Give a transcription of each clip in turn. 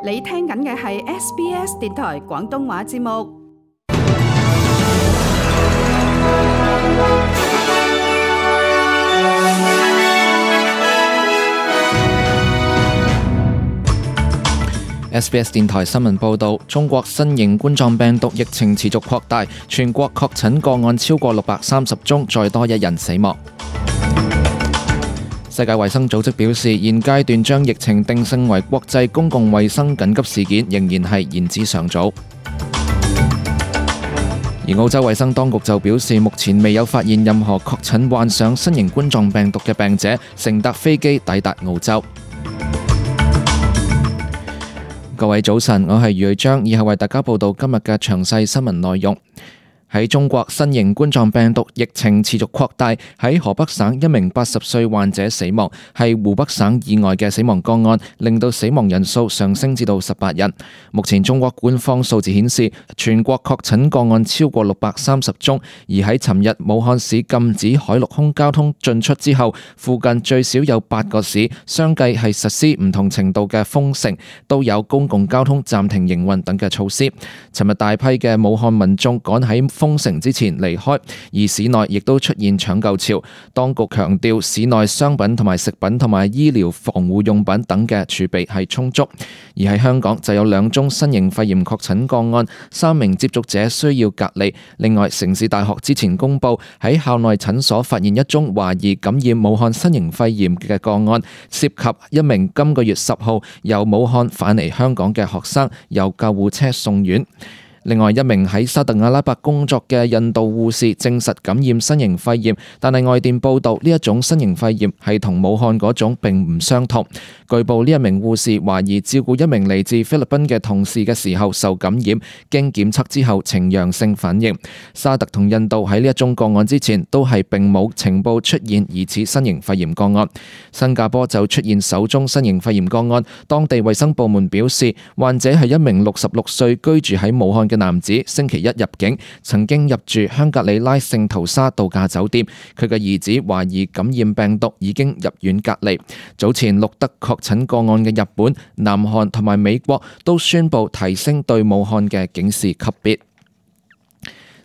你聽緊嘅係 SBS 電台廣東話節目。SBS 電台新聞報導，中國新型冠狀病毒疫情持續擴大，全國確診個案超過630宗，再多1人死亡。世界衛生組織表示，現階段將疫情定性為國際公共衛生緊急事件，仍然係言之尚早。而澳洲衛生當局就表示，目前未有發現任何確診患上新型冠狀病毒嘅病者乘搭飛機抵達澳洲。各位早晨，我係余瑞章，以後為大家報道今日嘅詳細新聞內容。喺中國，新型冠狀病毒疫情持續擴大，喺河北省一名80歲患者死亡，係湖北省以外嘅死亡個案，令到死亡人數上升至到18人。目前中國官方數字顯示，全國確診個案超過630宗，而喺尋日武漢市禁止海陸空交通進出之後，附近最少有8個市相繼係實施唔同程度嘅封城，都有公共交通暫停營運等嘅措施。尋日大批嘅武漢民眾趕喺封城之前離開，而市內亦都出現搶購潮。當局強調，市內商品同埋食品同埋醫療防護用品等嘅儲備係充足。而喺香港就有2宗新型肺炎確診個案，3名接觸者需要隔離。另外，城市大學之前公布喺校內診所發現1宗懷疑感染武漢新型肺炎嘅個案，涉及一名今個月10號由武漢返嚟香港嘅學生，由救護車送院。另外，一名喺沙特阿拉伯工作嘅印度護士證實感染新型肺炎，但係外電報道呢一種新型肺炎係同武漢嗰種並唔相同。據報呢一名護士懷疑照顧一名嚟自菲律賓嘅同事嘅時候受感染，經檢測之後呈陽性反應。沙特同印度喺呢一宗個案之前都係並冇情報出現疑似新型肺炎個案。新加坡就出現首宗新型肺炎個案，當地衛生部門表示，患者係一名66歲居住喺武漢嘅男子，星期一入境，曾經入住香格里拉聖淘沙度假酒店。佢嘅兒子懷疑感染病毒，已經入院隔離。早前錄得確診個案嘅日本、南韓同埋美國都宣布提升對武漢嘅警示級別。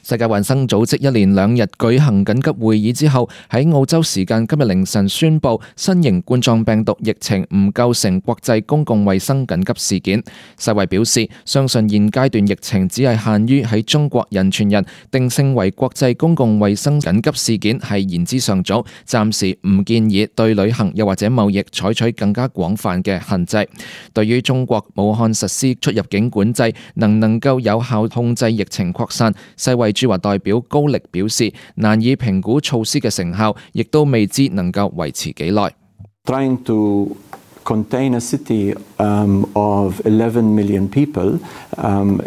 世界衛生組織一連2日舉行緊急會議之後，喺澳洲時間今日凌晨宣布，新型冠狀病毒疫情唔構成國際公共衛生緊急事件。世衛表示，相信現階段疫情只係限於喺中國人傳人，定性為國際公共衛生緊急事件係言之尚早，暫時唔建議對旅行又或者貿易採取更加廣泛嘅限制。對於中國武漢實施出入境管制，能唔能夠有效控制疫情擴散，世衛駐華代表高力表示，難以評估措施嘅成效，亦都未知能夠維持幾耐。Trying to contain a city of 11 million people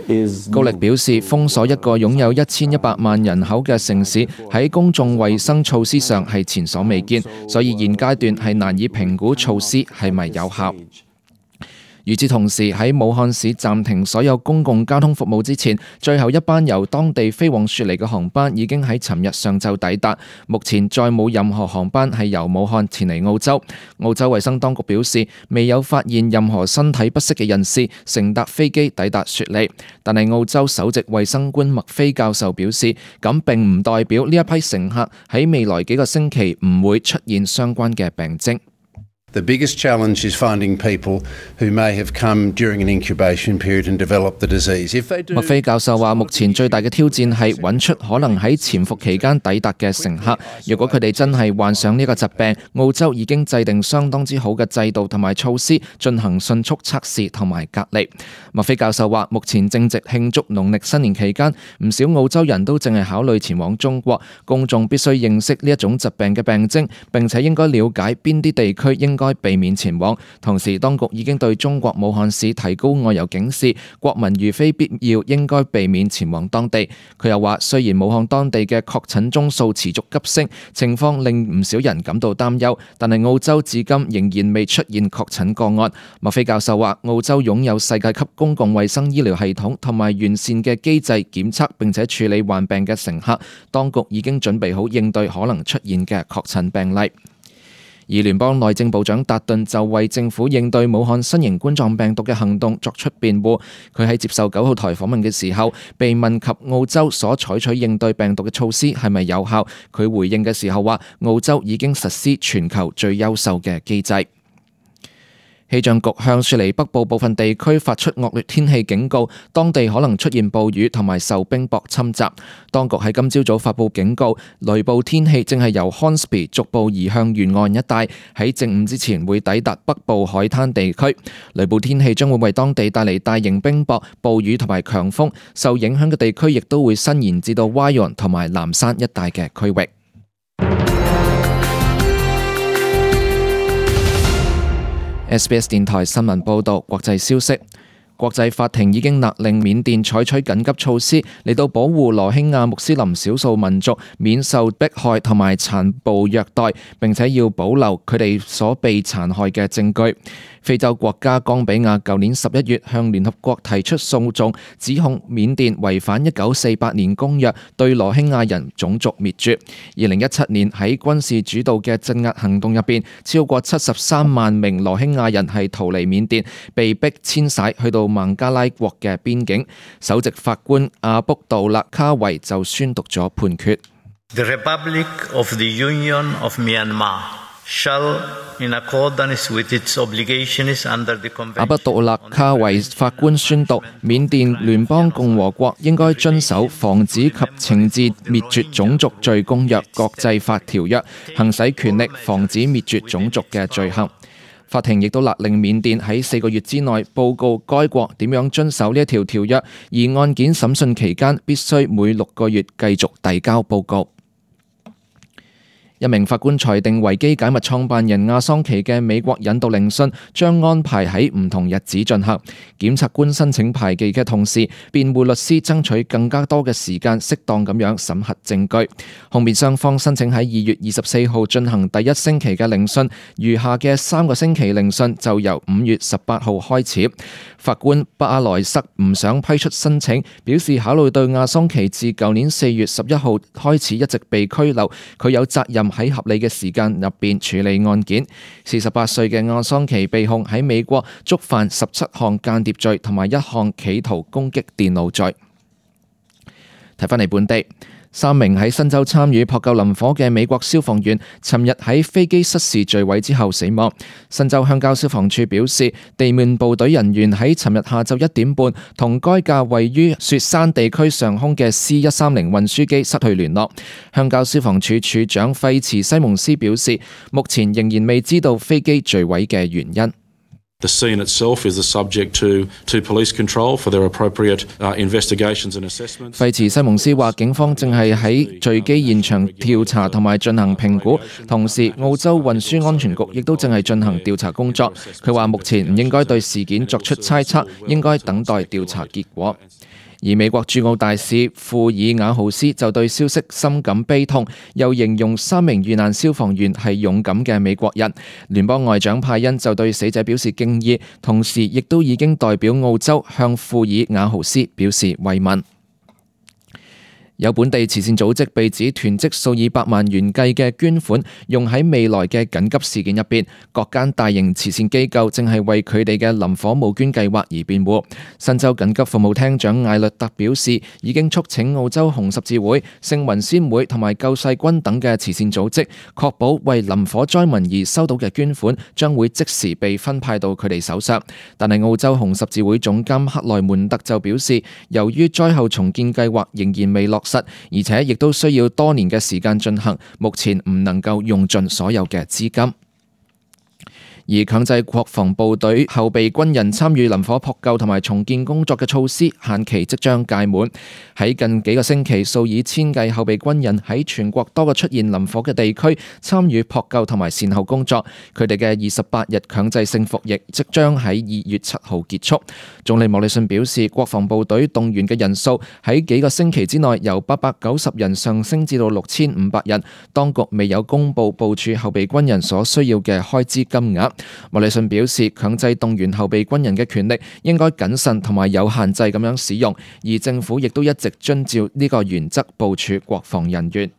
is 高力表示，封鎖一個擁有1100萬人口嘅城市喺公眾衛生措施上係前所未見，所以現階段係難以評估措施係咪有效。與此同時，喺武漢市暫停所有公共交通服務之前，最後一班由當地飛往雪梨嘅航班已經喺尋日上晝抵達。目前再冇任何航班係由武漢前嚟澳洲。澳洲衛生當局表示，未有發現任何身體不適嘅人士乘搭飛機抵達雪梨。但係澳洲首席衛生官麥菲教授表示，咁並唔代表呢一批乘客喺未來幾個星期唔會出現相關嘅病徵。The biggest challenge is finding people who may have come during an incubation period and developed the disease. 麥菲教授話，目前最大嘅挑戰係揾出可能喺潛伏期間抵達嘅乘客。如果佢哋真係患上呢個疾病，澳洲已經制定相當之好嘅制度同埋措施，進行迅速測試同埋隔離。麥菲教授話，目前正值慶祝農曆新年期間，唔少澳洲人都正係考慮前往中國。公眾必須認識呢一種疾病嘅病徵，並且應該了解邊啲地區應該避免前往。同時，當局已經對中國武漢市提高外遊警示，國民如非必要應該避免前往當地。佢又話，雖然武漢當地嘅確診宗數持續急升，情況令唔少人感到擔憂，但係澳洲至今仍然未出現確診個案。麥菲教授話，澳洲擁有世界級公共衛生醫療系統同埋完善嘅機制檢測並且處理患病嘅乘客，當局已經準備好應對可能出現嘅確診病例。而聯邦內政部長達頓就為政府應對武漢新型冠狀病毒嘅行動作出辯護。佢喺接受9號台訪問嘅時候，被問及澳洲所採取應對病毒嘅措施係咪有效，佢回應嘅時候話，澳洲已經實施全球最優秀嘅機制。氣象局向雪梨北部部分地區發出惡劣天氣警告，當地可能出現暴雨同埋受冰雹侵襲。當局喺今朝早發布警告，雷暴天氣正係由 Hornsby 逐步移向沿岸一帶，喺正午之前會抵達北部海灘地區。雷暴天氣將會為當地帶嚟大型冰雹、暴雨同埋強風，受影響嘅地區亦都會伸延至到 Wyong 同埋南山一帶嘅區域。SBS 電台新聞報道，國際消息。國際法庭已經勒令緬甸採取緊急措施嚟到保護羅興亞穆斯林少數民族免受迫害同埋殘暴虐待，並且要保留佢哋所被殘害嘅證據。非洲國家岡比亞舊年11月向聯合國提出訴訟，指控緬甸違反1948年公約，對羅興亞人種族滅絕。2017年喺軍事主導嘅鎮壓行動入邊，超過73萬名羅興亞人係逃離緬甸，被迫遷徙去到孟加拉國嘅邊境。首席法官阿卜杜勒卡維就宣讀咗判決。The Republic of the Union of Myanmar shall, in accordance with its obligations under the Convention。阿卜杜勒卡維法官宣讀，緬甸聯邦共和國應該遵守防止及懲治滅絕種族罪公約國際法條約，行使權力防止滅絕種族嘅罪行。法庭亦都勒令緬甸喺4個月之內報告該國點樣遵守呢一條條約，而案件審訊期間必須每6個月繼續遞交報告。一名法官裁定維基解密創辦人亞桑奇嘅美國引渡聆訊將安排喺唔同日子進行。檢察官申請排期嘅同時，辯護律師爭取更加多嘅時間，適當咁樣審核證據。控辯雙方申請喺2月24號進行第一星期嘅聆訊，餘下嘅3個星期聆訊就由5月18號開始。法官巴萊塞唔想批出申請，表示考慮到亞桑奇自舊年4月11號開始一直被拘留，佢有責任喺合理嘅時間入邊處理案件。48歲嘅亞桑奇被控喺美國觸犯17項間諜罪同埋1項企圖攻擊電腦罪。睇返嚟本地。3名喺新州參與撲救林火嘅美國消防員，尋日喺飛機失事墜毀之後死亡。新州鄉郊消防處表示，地面部隊人員喺尋日下晝1點半同該架位於雪山地區上空嘅 C130 運輸機失去聯絡。鄉郊消防處處長費茨西蒙斯表示，目前仍然未知道飛機墜毀嘅原因。The scene itself is the subject to police control for their appropriate investigations and assessments. 費茨西蒙斯話，警方正係喺墜機現場調查同埋進行評估，同時澳洲運輸安全局亦都正係進行調查工作。佢話目前唔應該對事件作出猜測，應該等待調查結果。而美國駐澳大使庫爾瓦豪斯就對消息深感悲痛，又形容3名遇難消防員係勇敢嘅美國人。聯邦外長派恩就對死者表示敬意，同時亦都已經代表澳洲向庫爾瓦豪斯表示慰問。有本地慈善組織被指囤積數以百萬元計嘅捐款，用喺未來嘅緊急事件入邊。各間大型慈善機構正係為佢哋嘅林火募捐計劃而辯護。新州緊急服務廳長艾略特表示，已經促請澳洲紅十字會、聖雲仙會同埋救世軍等嘅慈善組織，確保為林火災民而收到嘅捐款將會即時被分派到佢哋手上。但係澳洲紅十字會總監克萊門特就表示，由於災後重建計劃仍然未落實，而且亦都需要多年嘅時間進行，目前唔能夠用盡所有嘅資金。而強制國防部隊後備軍人參與林火撲救同埋重建工作嘅措施限期即將屆滿。喺近幾個星期，數以千計後備軍人喺全國多個出現林火嘅地區參與撲救同埋善後工作。佢哋嘅28日強制性服役即將喺2月7號結束。總理莫里遜表示，國防部隊動員嘅人數喺幾個星期之內由890人上升至到6500人。當局未有公布部署後備軍人所需要嘅開支金額。莫里遜表示，強制動員後備軍人嘅權力應該謹慎同埋有限制咁樣使用，而政府亦都一直遵照呢個原則部署國防人員。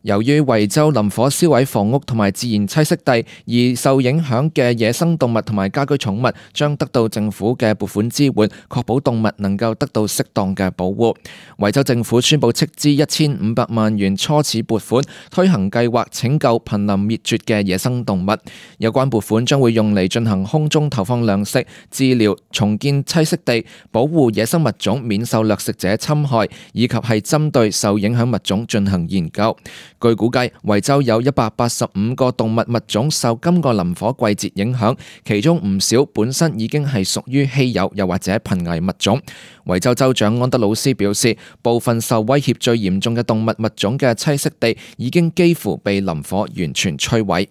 由於維州林火燒毀房屋同埋自然棲息地，而受影響嘅野生動物同埋家居寵物將得到政府嘅撥款支援，確保動物能夠得到適當嘅保護。維州政府宣布斥資1500萬元初始撥款，推行計劃拯救瀕臨滅絕嘅野生動物。有關撥款將會用嚟進行空中投放糧食、治療、重建棲息地、保護野生物種免受掠食者侵害，以及係針對受影響物種進行研究。據估計，維州有185個動物物種受今個林火季節影響，其中唔少本身已經係屬於稀有又或者瀕危物種。維州州長安德魯斯表示，部分受威脅最嚴重嘅動物物種嘅棲息地已經幾乎被林火完全摧毀。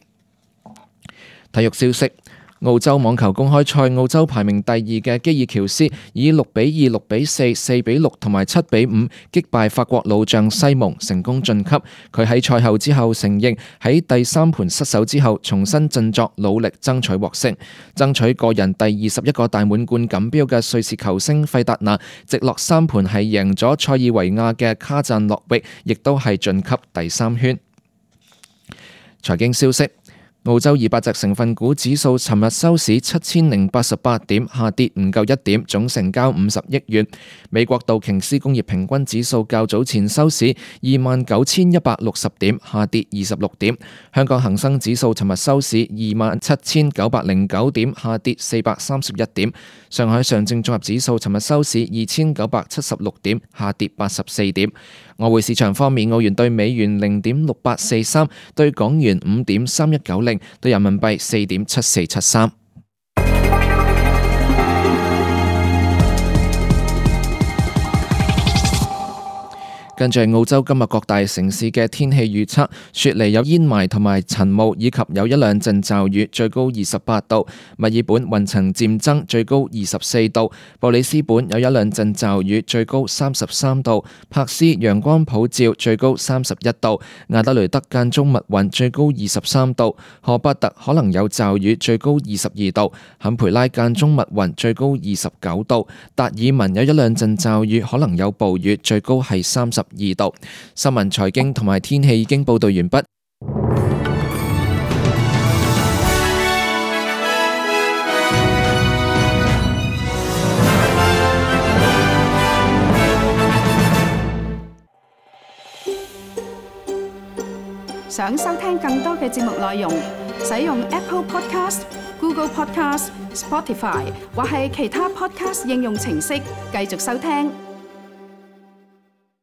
體育消息。澳洲網球公開賽，澳洲排名第2嘅基爾喬斯以6-2、6-4、4-6同埋7-5擊敗法國老將西蒙，成功晉級。佢喺賽後之後承認，喺第3盤失手之後，重新振作，努力爭取獲勝。爭取個人第21個大滿貫錦標嘅瑞士球星費達拿，直落3盤係贏咗塞爾維亞嘅卡贊諾域，亦都係晉級第3圈。財經消息。澳洲200隻成分股指數尋日收市7088點，下跌唔夠1點，總成交50億元。美國道瓊斯工業平均指數較早前收市29160點，下跌26點。香港恒生指數尋日收市27909點，下跌431點。上海上證綜合指數尋日收市2976點，下跌84點。外匯市場方面，澳元對美元0.6843，對港元5.3190，對人民幣4.7473。跟住澳洲今日各大城市嘅天氣預測：雪梨有煙霾同埋塵霧，以及有一兩陣驟雨，最高28度；墨爾本雲層漸增，最高24度；布里斯本有一兩陣驟雨，最高33度；柏斯陽光普照，最高31度；亞德雷德間中密雲，最高23度；荷伯特可能有驟雨，最高22度；坎培拉間中密雲，最高29度；達爾文有一兩陣驟雨，可能有暴雨，最高係32度。新聞、財經同埋天氣已經報道完畢。想收聽更多嘅節目內容，使用 Apple Podcast、Google Podcast、Spotify 或係其他 Podcast 應用程式繼續收聽。